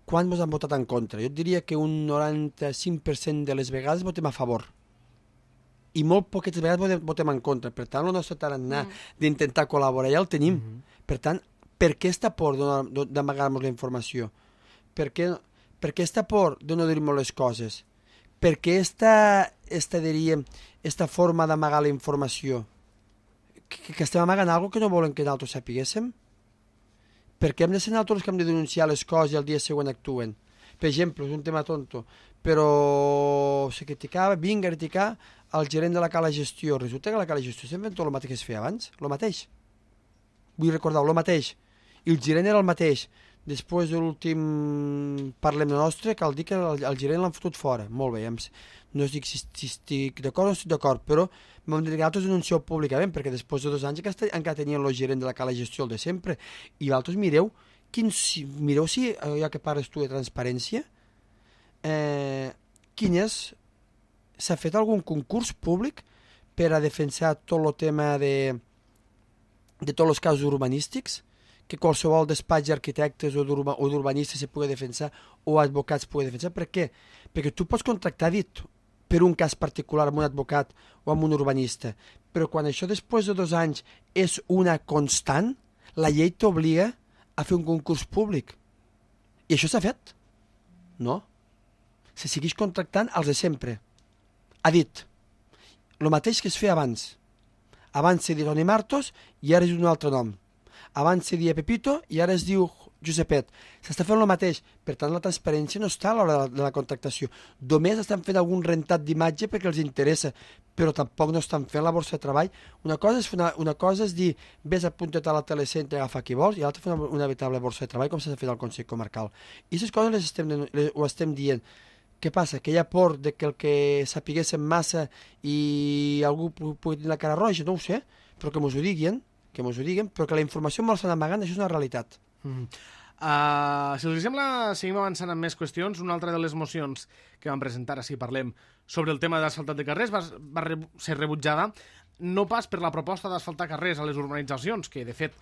Speaker 2: quants han votat en contra. Jo et diria que un 95% de les vegades votem a favor i molt poquetes vegades votem en contra. Per tant, el nostre tarannà d'intentar col·laborar ja el tenim. Per tant, per què esta por d'amagar-nos la informació? Per què esta por de no dir-nos les coses? Per què esta forma d'amagar la informació? Que estem amagant alguna cosa que no volen que nosaltres sapiguéssim? Per què hem de ser nosaltres els que hem de denunciar les coses i el dia següent actuen? Per exemple, és un tema tonto, però se criticava, vinga a criticar el gerent de la cala gestió. Resulta que la cala gestió estem fent tot el mateix que es feia abans, el mateix. Vull recordar, el mateix. I el gerent era el mateix. Després de l'últim Parlem de Nostre, cal dir que el gerent l'han fotut fora. Molt bé, no dic si estic d'acord o no estic d'acord, però vam dir que nosaltres denuncieu públicament, perquè després de 2 anys encara tenien el gerent de la cala gestió, el de sempre, i vosaltres mireu si, ja que parles tu de transparència, s'ha fet algun concurs públic per a defensar tot el tema de tots els casos urbanístics, que qualsevol despatx d'arquitectes o d'urbanistes se pugui defensar o advocats pugui defensar. Per què? Perquè tu pots contractar dit per un cas particular amb un advocat o amb un urbanista, però quan això després de 2 anys és una constant, la llei t'obliga a fer un concurs públic. I això s'ha fet? No. Se segueix contractant els de sempre. Ha dit el mateix que es feia abans. Abans se diu Toni Martos i ara és un altre nom. Abans se dia Pepito i ara es diu Josepet. S'està fent el mateix. Per tant, la transparència no està a l'hora de la contractació. Només estan fent algun rentat d'imatge perquè els interessa, però tampoc no estan fent la borsa de treball. Una cosa és dir, vés apunta't a la telecentre i agafa qui vols, i l'altra fer una veritable borsa de treball com s'ha fet al Consell Comarcal. I aquestes coses ho estem dient. Què passa? Que hi ha por de que el que sapiguéssim massa i algú pugui tenir la cara roja, no ho sé, però que mos ho diguin, però que la informació molt s'han amagant, això és una realitat.
Speaker 1: Si els sembla, seguim avançant amb més qüestions. Una altra de les mocions que vam presentar, si parlem sobre el tema d'asfaltat de carrers, va ser rebutjada, no pas per la proposta d'asfaltar carrers a les urbanitzacions, que de fet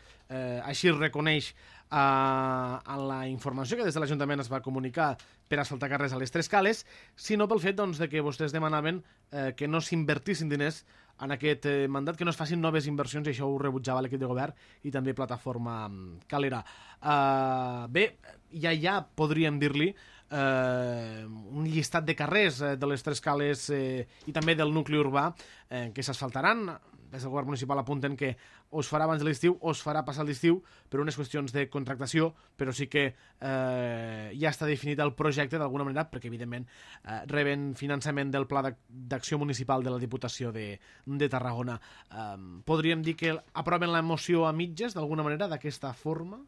Speaker 1: així es reconeix en la informació que des de l'Ajuntament es va comunicar per asfaltar carrers a les 3 cales, sinó pel fet de que vostès demanaven que no s'invertissin diners en aquest mandat, que no es facin noves inversions, i això ho rebutjava l'equip de govern i també Plataforma Calera. Bé, ja podríem dir-li un llistat de carrers de les 3 cales i també del nucli urbà que s'asfaltaran. Des del govern municipal apunten que o es farà abans de l'estiu o es farà passar l'estiu per unes qüestions de contractació, però sí que ja està definit el projecte d'alguna manera, perquè evidentment reben finançament del Pla d'Acció Municipal de la Diputació de Tarragona. Podríem dir que aproven la moció a mitges d'alguna manera d'aquesta forma?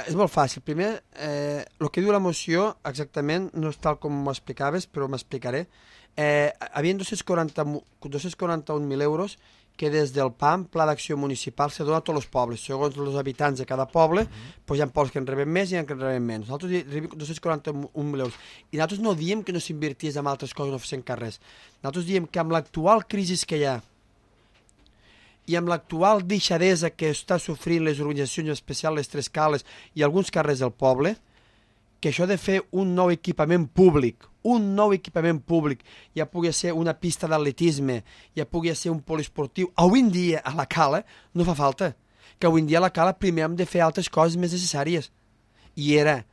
Speaker 2: És molt fàcil. Primer, el que diu la moció exactament no és tal com m'ho explicaves, però m'explicaré. Havien 241.000 euros que des del PAM, Pla d'Acció Municipal, se dona a tots els pobles. Segons els habitants de cada poble, hi ha pobles que en reben més i en que en reben menys. Nosaltres rebem 241.000 euros. I nosaltres no diem que no s'invertís en altres coses, no fessin carrers. Nosaltres diem que amb l'actual crisi que hi ha i amb l'actual deixadesa que està sofrint les organitzacions, en especial les 3 cales i alguns carrers del poble, que això de fer un nou equipament públic, ja pugui ser una pista d'atletisme, ja pugui ser un poliesportiu, avui en dia a la cala no fa falta, que avui en dia a la cala primer hem de fer altres coses més necessàries, i era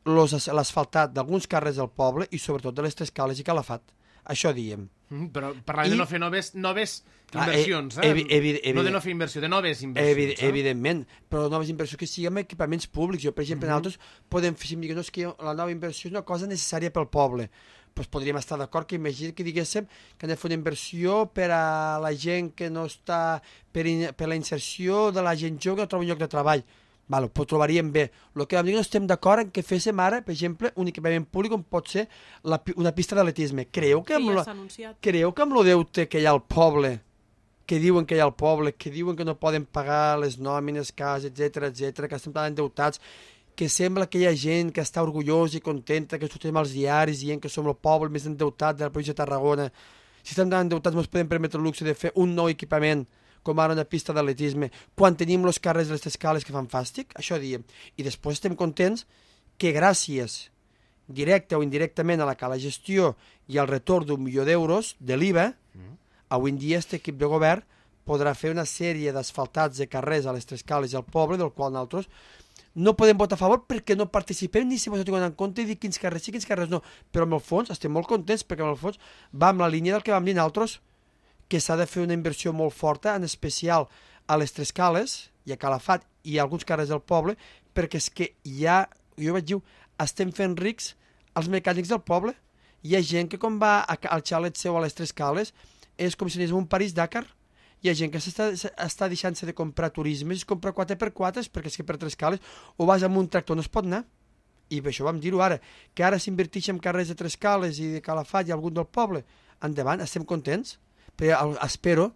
Speaker 2: l'asfaltat d'alguns carrers del poble i sobretot de les 3 cales i Calafat. Això diem.
Speaker 1: Però parlàvem de no fer noves inversions, no de no fer inversió, de noves inversions.
Speaker 2: Evidentment, però noves inversions que siguin equipaments públics. Jo, per exemple, nosaltres podem fer, si em diguin que la nova inversió és una cosa necessària pel poble, doncs podríem estar d'acord que imagina que diguéssim que hem de fer una inversió per a la gent que no està, per la inserció de la gent jove que no troba un lloc de treball. Val, ho trobaríem bé. El que vam dir no estem d'acord en que féssim ara, per exemple, un equipament públic com pot ser una pista d'atletisme. Creu que amb el deute que hi ha al poble, que diuen que hi ha al poble, que diuen que no poden pagar les nòmines, cases, etc, que estem tan endeutats, que sembla que hi ha gent que està orgullosa i contenta, que sortim als diaris dient que som el poble més endeutat de la província de Tarragona. Si estem tan endeutats no ens podem permetre el luxe de fer un nou equipament com ara una pista d'atletisme, quan tenim els carrers de les escales que fan fàstic, això diem. I després estem contents que gràcies, directe o indirectament a la gestió i al retorn d'1 milió d'euros de l'IVA, avui en dia aquest equip de govern podrà fer una sèrie d'asfaltats de carrers a les tres cales i al poble, del qual nosaltres no podem votar a favor perquè no participem ni si vos ho tinguem en compte i dir quins carrers sí, quins carrers no. Però en el fons estem molt contents perquè en el fons va amb la línia del que vam dir nosaltres, que s'ha de fer una inversió molt forta, en especial a les tres cales i a Calafat i a alguns carrers del poble, perquè és que jo vaig dir, estem fent rics els mecànics del poble. Hi ha gent que quan va al xalet seu a les tres cales és com si anés a un París-Dakar. Hi ha gent que està deixant-se de comprar turismes i comprar 4x4 perquè és que per tres cales o vas amb un tractor no es pot anar. I per això vam dir-ho ara, que ara s'inverteix en carrers de tres cales i de Calafat i algun del poble. Endavant, estem contents. Però espero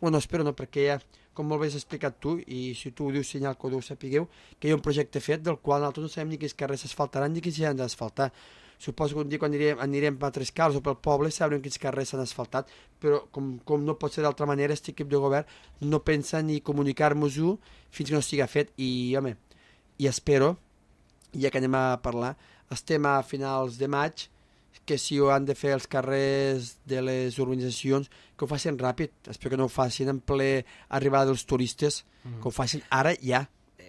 Speaker 2: no, perquè ja, com molt bé has explicat tu, i si tu ho dius senyal que ho sapigueu, que hi ha un projecte fet del qual nosaltres no sabem ni quins carrers s'asfaltaran ni quins s'han d'asfaltar. Suposo que un dia quan anirem a Tres Cals o pel poble sabrem quins carrers s'han asfaltat, però com no pot ser d'altra manera, aquest equip de govern no pensa ni comunicar-nos-ho fins que no estigui fet. I, home, i espero, ja que anem a parlar, estem a finals de maig, que si ho han de fer els carrers de les urbanitzacions, que ho facin ràpid. Espero que no ho facin en ple arribada dels turistes, que ho facin ara ja.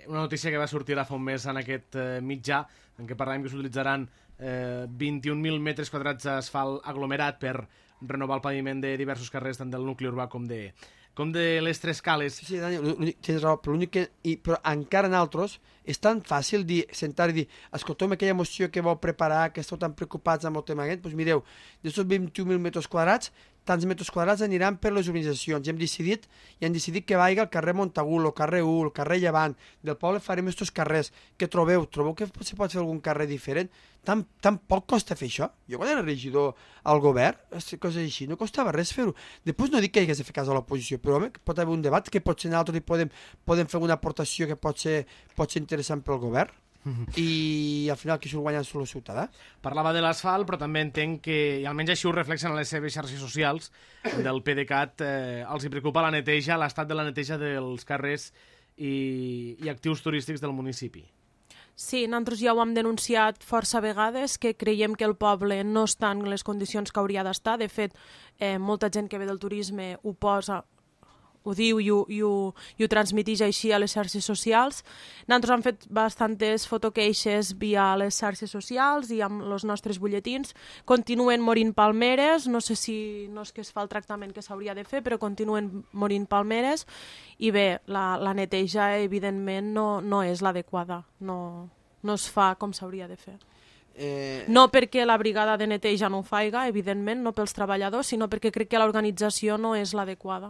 Speaker 1: Una notícia que va sortir fa un mes en aquest mitjà, en què parlàvem que s'utilitzaran 21.000 metres quadrats d'asfalt aglomerat per renovar el paviment de diversos carrers, tant del nucli urbà com de les tres cales.
Speaker 2: Sí, Dani, tens raó, però però encara en altres és tan fàcil sentar i dir, escolteu aquella moció que vau preparar, que esteu tan preocupats amb el tema aquest, doncs mireu, d'aquests 21.000 metres quadrats, tants metres quadrats aniran per les urbanitzacions. I hem decidit que vagi al carrer Montagut, el carrer 1, el carrer Llevant, del poble farem aquests carrers. Què trobeu? Trobeu que se pot fer algun carrer diferent? Tan poc costa fer això? Jo quan era regidor al govern, coses així, no costava res fer-ho. Després no dic que hagués de fer cas a l'oposició, però home, pot haver un debat que potser nosaltres podem fer una aportació que pot ser interessant pel govern. I al final qui surt guanyant és el ciutadà.
Speaker 1: Parlava de l'asfalt, però també entenc que, i almenys així ho reflexen a les seves xarxes socials del PDeCAT, els hi preocupa la neteja, l'estat de la neteja dels carrers i actius turístics del municipi.
Speaker 3: Sí, nosaltres ja ho hem denunciat força vegades, que creiem que el poble no està en les condicions que hauria d'estar. De fet, molta gent que ve del turisme ho diu i ho transmiteix així a les xarxes socials. Nosaltres hem fet bastantes fotoqueixes via les xarxes socials i amb els nostres butlletins. Continuen morint palmeres, no sé si no és que es fa el tractament que s'hauria de fer, però continuen morint palmeres i bé, la neteja evidentment no és l'adequada, no es fa com s'hauria de fer. No perquè la brigada de neteja no ho faiga, evidentment, no pels treballadors, sinó perquè crec que l'organització no és l'adequada.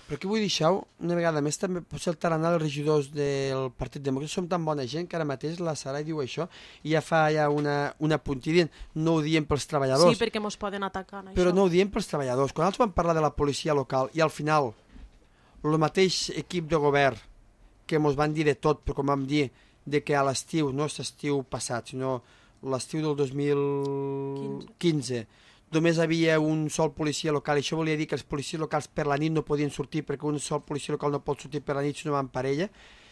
Speaker 2: Però aquí vull deixar una vegada més també potser el tarannà dels regidors del Partit Demòcrata. Som tan bona gent que ara mateix la Sara diu això i ja fa una puntilla, no ho diem pels treballadors.
Speaker 3: Sí, perquè ens poden atacar en això.
Speaker 2: Però no ho diem pels treballadors. Quan els van parlar de la policia local i al final el mateix equip de govern que ens van dir de tot, però com vam dir de que a l'estiu, no és l'estiu passat, sinó l'estiu del 2015 només havia un sol policia local i això volia dir que els policies locals per la nit no podien sortir perquè un sol policia local no pot sortir per la nit si no va en parella.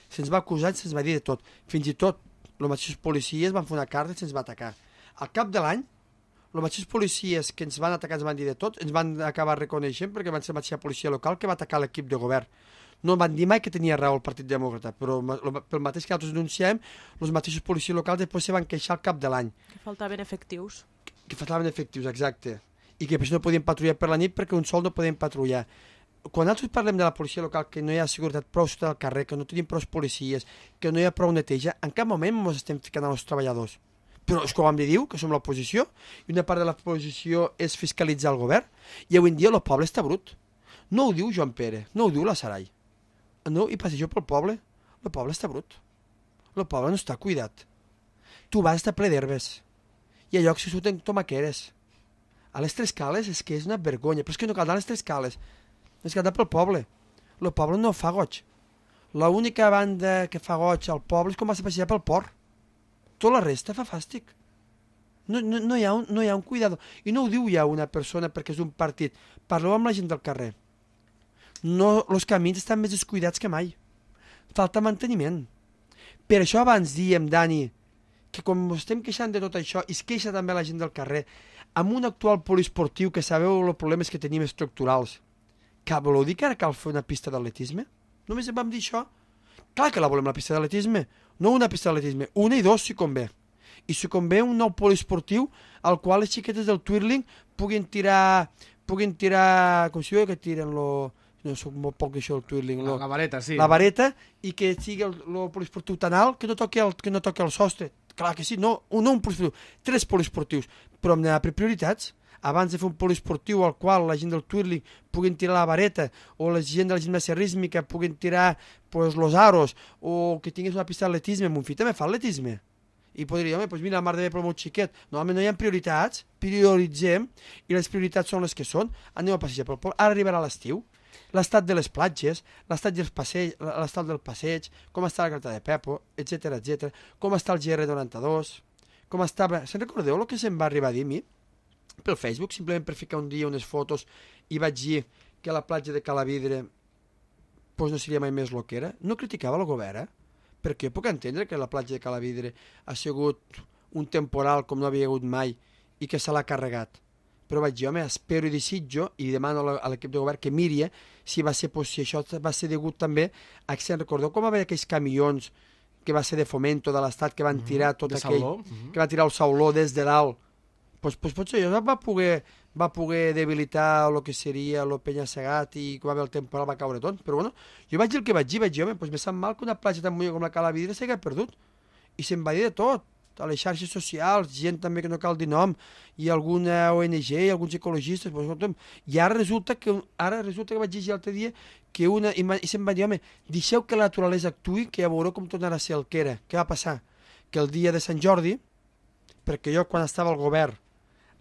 Speaker 2: Se'ns va acusar i se'ns va dir de tot. Fins i tot els mateixos policies van fer una carta i se'ns va atacar. Al cap de l'any, els mateixos policies que ens van atacar ens van dir de tot, ens van acabar reconeixent perquè van ser la mateixa policia local que va atacar l'equip de govern. No van dir mai que tenia raó el Partit Demòcrata, però pel mateix que nosaltres denunciem, els mateixos policies locals després se van queixar al cap de l'any.
Speaker 3: Que faltaven efectius.
Speaker 2: Que faltaven efectius, exacte. i que per això no podien patrullar per la nit perquè un sol no podien patrullar. Quan nosaltres parlem de la policia local, que no hi ha seguretat prou sota del carrer, que no tenim prou policies, que no hi ha prou neteja, en cap moment ens estem ficant als treballadors. Però és que ho hem de dir, que som l'oposició, i una part de l'oposició és fiscalitzar el govern, i avui en dia el poble està brut. No ho diu Joan Pere, no ho diu la Sarai. No, i passejo pel poble, el poble està brut. El poble no està cuidat. Tu vas estar ple d'herbes, i a llocs que surten tomaqueres. A les Tres Cales és que és una vergonya, però és que no cal anar a les Tres Cales, és que anar pel poble. El poble no fa goig. L'única banda que fa goig al poble és com vas a passejar pel port. Tota la resta fa fàstic. No hi ha un cuidador. I no ho diu ja una persona perquè és un partit. Parleu amb la gent del carrer. No, els camins estan més descuidats que mai. Falta manteniment. Per això abans diem, Dani, que com estem queixant de tot això, i es queixa també la gent del carrer, amb un actual poliesportiu que sabeu els problemes que tenim estructurals, que voleu dir que ara cal fer una pista d'atletisme? Només vam dir això? Clar que la volem, la pista d'atletisme. No una pista d'atletisme, una i dos si convé. I si convé un nou poliesportiu al qual les xiquetes del twirling puguin tirar, com si diu que tiren no soc molt poc això del twirling.
Speaker 1: La vareta, sí.
Speaker 2: La vareta, i que sigui el poliesportiu tan alt que no toqui el sostre. Clar que sí, no un poliesportiu, 3 poliesportius, però hem d'anar per prioritats. Abans de fer un poliesportiu al qual la gent del twirling puguin tirar la vareta, o la gent de la gimnàsia rítmica puguin tirar los aros, o que tingués una pista d'atletisme, mon fill també fa atletisme. I podria dir, home, mira, la mar de bé pel meu xiquet. No, home, no hi ha prioritats, prioritzem, i les prioritats són les que són. Anem a passejar pel poble. Ara arribarà l'estiu, l'estat de les platges, l'estat del passeig, com està la Grata de Pepo, etc, com està el GR92, com estava... Se'n recordeu el que se'm va arribar a dir a mi? Pel Facebook, simplement per ficar un dia unes fotos i vaig dir que la platja de Calavidre pues no seria mai més el que era. No criticava el govern, perquè jo puc entendre que la platja de Calavidre ha sigut un temporal com no havia hagut mai i que se l'ha carregat. Però vaig dir, home, espero i desitjo i demano a l'equip de govern que miri si això va ser degut també a que se'n recordeu com va haver aquells camions que va ser de Fomento de l'Estat que van tirar tot aquell... que van tirar el sauló des de dalt. Pues potser això va poder debilitar el que seria el penya-segat i quan va haver el temporal va caure tot. Però bueno, jo vaig dir el que vaig dir, home, pues me sap mal que una platja tan bonica com la Calavidre s'hagi perdut. I se'n va dir de tot, a les xarxes socials, gent també que no cal dir nom, i alguna ONG, i alguns ecologistes, pues, i ara resulta que vaig dir l'altre dia que i se'n va dir, home, deixeu que la naturalesa actuï, que ja veureu com tornarà a ser el que era. Què va passar? Que el dia de Sant Jordi, perquè jo quan estava al govern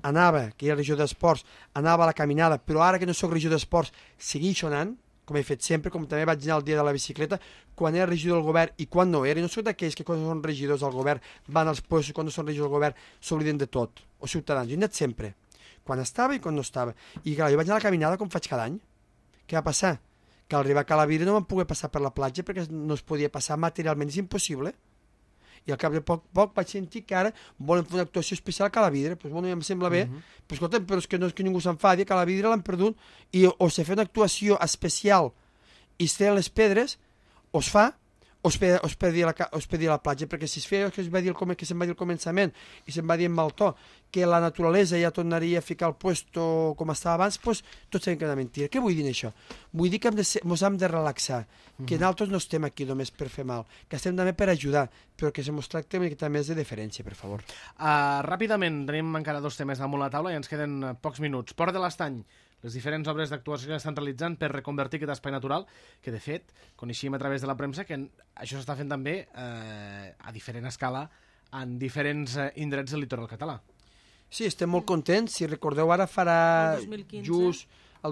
Speaker 2: anava, que era regidor d'esports, anava a la caminada, però ara que no sóc regidor d'esports, segueixo anant, com he fet sempre, com també vaig anar el dia de la bicicleta, quan era regidor del govern i quan no era, i no sóc d'aquells que quan són regidors del govern van als puestos, quan no són regidors del govern s'obliden de tot, o ciutadans, jo he anat sempre, quan estava i quan no estava, i clar, jo vaig anar a la caminada com faig cada any. Què va passar? Que al arribar a Calavidre no vam poder passar per la platja perquè no es podia passar materialment, és impossible. I al cap de poc vaig sentir que ara volen fer una actuació especial a Calavidre. Pues bueno, ja em sembla bé, però escolta'm, però és que no és que ningú s'enfadi, a Calavidre l'han perdut, i o se fa una actuació especial i es treuen les pedres, o es fa, o es perdi a la platja, perquè si es feia que se'n va dir al començament i se'n va dir en mal to, que la naturalesa ja tornaria a ficar el puesto com estava abans, doncs tot sabem que és una mentira. Què vull dir això? Vull dir que ens hem de relaxar, que nosaltres no estem aquí només per fer mal, que estem també per ajudar, però que se mos tracta una miqueta més de deferència, per favor.
Speaker 1: Ràpidament, tenim encara 2 temes damunt la taula i ens queden pocs minuts. Port de l'Estany, les diferents obres d'actuació que estan realitzant per reconvertir aquest espai natural, que de fet coneixíem a través de la premsa que això s'està fent també a diferent escala en diferents indrets del litoral català.
Speaker 2: Sí, estem molt contents. Si recordeu, ara farà el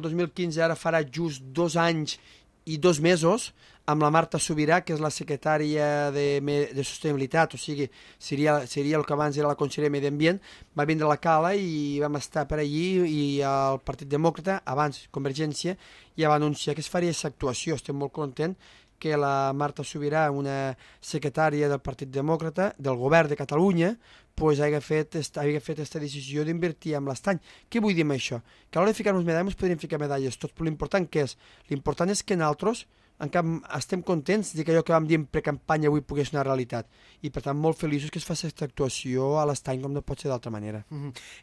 Speaker 2: 2015, ara farà just 2 anys i 2 mesos amb la Marta Subirà, que és la secretària de Sostenibilitat, o sigui, seria el que abans era la consellera de Medi Ambient, va vindre a la Cala i vam estar per allí, i el Partit Demòcrata, abans Convergència, ja va anunciar que es faria aquesta actuació. Estem molt contents que la Marta Subirà, una secretària del Partit Demòcrata, del govern de Catalunya, pues, hagi fet aquesta decisió d'invertir en l'Estany. Què vull dir amb això? Que a l'hora de ficar-nos medalles podríem ficar medalles tots, però l'important què és? L'important és que nosaltres estem contents de que allò que vam dir en precampanya avui pogués ser una realitat. I, per tant, molt feliços que es faci aquesta actuació a l'estany com no pot ser d'altra manera.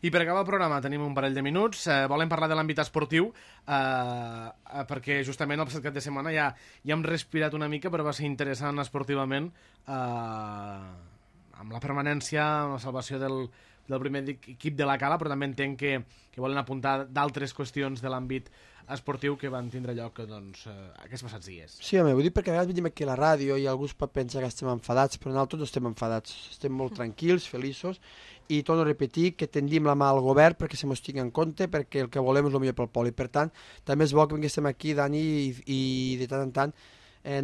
Speaker 1: I per acabar el programa tenim un parell de minuts. Volem parlar de l'àmbit esportiu, perquè justament el passat cap de setmana ja hem respirat una mica, però va ser interessant esportivament amb la permanència, amb la salvació del primer equip de la Cala, però també entenc que volen apuntar d'altres qüestions de l'àmbit esportiu que van tindre lloc aquests passats dies.
Speaker 2: Sí, home, vull dir perquè a vegades venim aquí a la ràdio i algú pot pensar que estem enfadats, però nosaltres no estem enfadats, estem molt tranquils, feliços, i torno a repetir que tendim la mà al govern perquè se mos tingui en compte, perquè el que volem és el millor pel poble. I per tant, també és bo que vinguéssim aquí, Dani, i de tant en tant,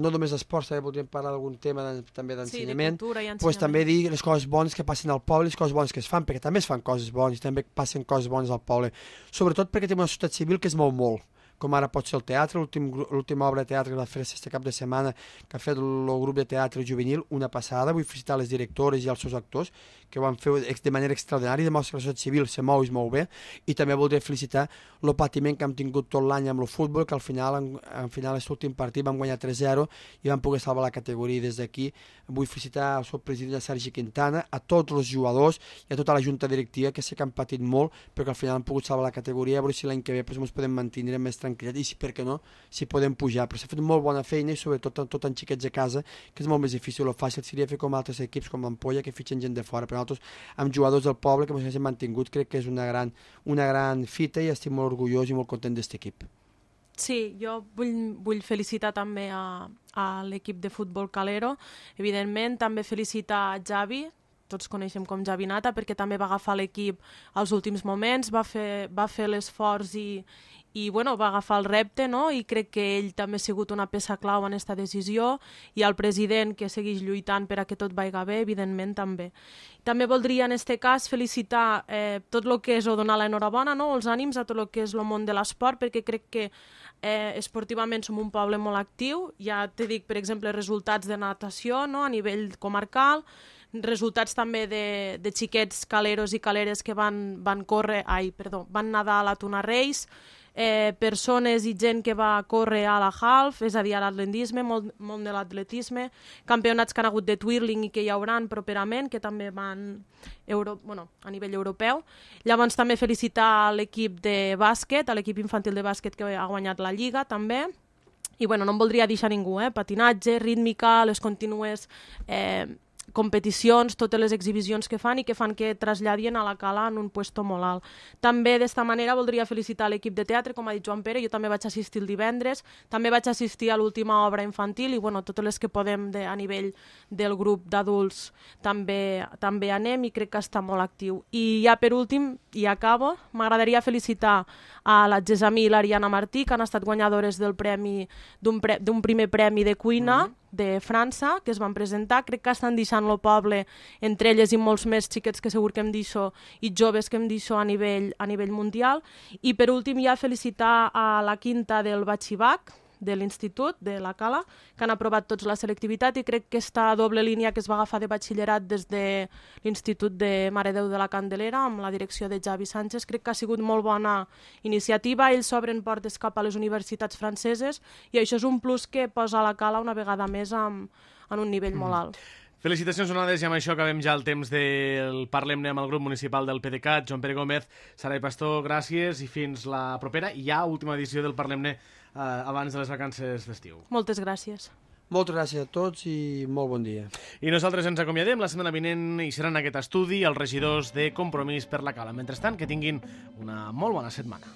Speaker 2: no només d'esports, també podríem parlar d'algun tema també d'ensenyament,
Speaker 3: sí, de
Speaker 2: pues també dir les coses bones que passen al poble, les coses bones que es fan, perquè també es fan coses bones i també passen coses bones al poble, sobretot perquè tenim una societat civil que es mou molt, com ara pot ser el teatre, l'última obra de teatre que va fer aquest cap de setmana, que ha fet el grup de teatre juvenil, una passada. Vull felicitar les directores i els seus actors, que ho van fer de manera extraordinària, demostra que la societat civil se mou i es mou bé, i també voldria felicitar el patiment que hem tingut tot l'any amb el futbol, que al final, aquest últim partit vam guanyar 3-0 i vam poder salvar la categoria. Des d'aquí vull felicitar el seu president Sergi Quintana, a tots els jugadors i a tota la junta directiva, que sé que han patit molt, perquè al final han pogut salvar la categoria, a veure si l'any que ve ens podem mantenir més tranquil·litat i, si per què no, si podem pujar. Però s'ha fet molt bona feina i sobretot tot en xiquets a casa, que és molt més difícil. El fàcil seria fer com altres equips, com l'Ampolla, que fitxen gent de fora. Però nosaltres, amb jugadors del poble que ens hem mantingut, crec que és una gran fita i estic molt orgullós i molt content d'aquest equip.
Speaker 3: Sí, jo vull felicitar també a l'equip de futbol Calero. Evidentment, també felicitar a Javi, tots coneixem com Javi Nata, perquè també va agafar l'equip als últims moments, va fer l'esforç i bueno, va agafar el repte, no? I crec que ell també ha sigut una peça clau en aquesta decisió, i el president, que segueix lluitant per a que tot vagi bé, evidentment també. També voldria en aquest cas felicitar tot el que és o donar l'enhorabona, no? Els ànims a tot el que és el món de l'esport, perquè crec que esportivament som un poble molt actiu. Ja te dic, per exemple, resultats de natació, no? A nivell comarcal, resultats també de xiquets caleros i caleres que van nedar a la Tuna Reis, persones i gent que va córrer a la half, és a dir, a l'atletisme, molt de l'atletisme, campionats que han hagut de twirling i que hi hauran properament, que també van a nivell europeu. Llavors també felicitar l'equip de bàsquet, l'equip infantil de bàsquet que ha guanyat la Lliga també. I no em voldria deixar ningú, patinatge, rítmica, les contínues competicions, totes les exhibicions que fan i que fan que traslladien a la Cala en un puesto molt alt. També d'esta manera voldria felicitar l'equip de teatre, com ha dit Joan Pere, jo també vaig assistir el divendres, també vaig assistir a l'última obra infantil i totes les que podem a nivell del grup d'adults també anem i crec que està molt actiu. I ja per últim, i acabo, m'agradaria felicitar a la Gesamí i l'Ariana Martí, que han estat guanyadores d'un primer premi de cuina de França, que es van presentar. Crec que estan deixant el poble, entre elles i molts més xiquets que segur que hem d'això, i joves que hem d'això a nivell mundial. I per últim ja felicitar a la quinta del Batxibac, de l'Institut de la Cala, que han aprovat tots la selectivitat, i crec que aquesta doble línia que es va agafar de batxillerat des de l'Institut de Mare Déu de la Candelera, amb la direcció de Javi Sánchez, crec que ha sigut molt bona iniciativa. Ells s'obren portes cap a les universitats franceses i això és un plus que posa la Cala una vegada més en un nivell molt alt.
Speaker 1: Felicitacions donades, i amb això acabem ja el temps del Parlem-ne amb el grup municipal del PDeCAT. Joan Pere Gómez, Sarai Pastor, gràcies i fins la propera i ja última edició del Parlem-ne abans de les vacances d'estiu.
Speaker 3: Moltes gràcies.
Speaker 2: Moltes gràcies a tots i molt bon dia.
Speaker 1: I nosaltres ens acomiadem. La setmana vinent hi seran en aquest estudi els regidors de Compromís per la Cala. Mentrestant, que tinguin una molt bona setmana.